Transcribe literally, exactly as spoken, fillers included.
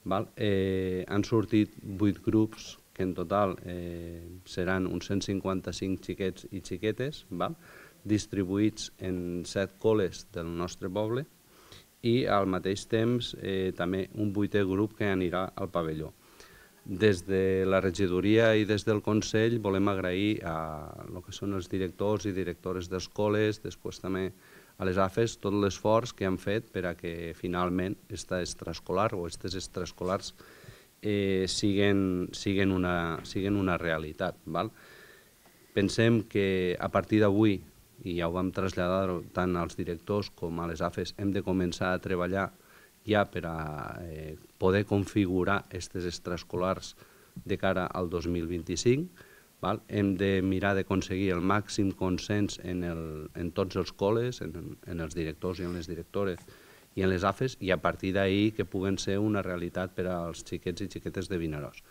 Val? Eh, han sortit vuit grups, que en total eh, seran uns cent cinquanta-cinc xiquets i xiquetes, val? Distribuïts en set col·les del nostre poble, i al mateix temps eh, també un vuitè grup que anirà al pavelló. Des de la regidoria i des del Consell volem agrair a el que són els directors i directores d'escoles, després també a les A F E S, tot l'esforç que han fet per a que finalment aquesta extraescolar o aquestes extraescolars eh, siguen, siguen, una, siguen una realitat. Val? Pensem que a partir d'avui, i ja ho vam traslladar tant als directors com a les A F E S, hem de començar a treballar ja per a eh, poder configurar aquestes extraescolars de cara al dos mil vint-i-cinc. Val? Hem de mirar d'aconseguir el màxim consens en, el, en tots els col·les, en, en els directors i en les directores i en les A F E S, i a partir d'ahir que puguen ser una realitat per als xiquets i xiquetes de Vinaròs.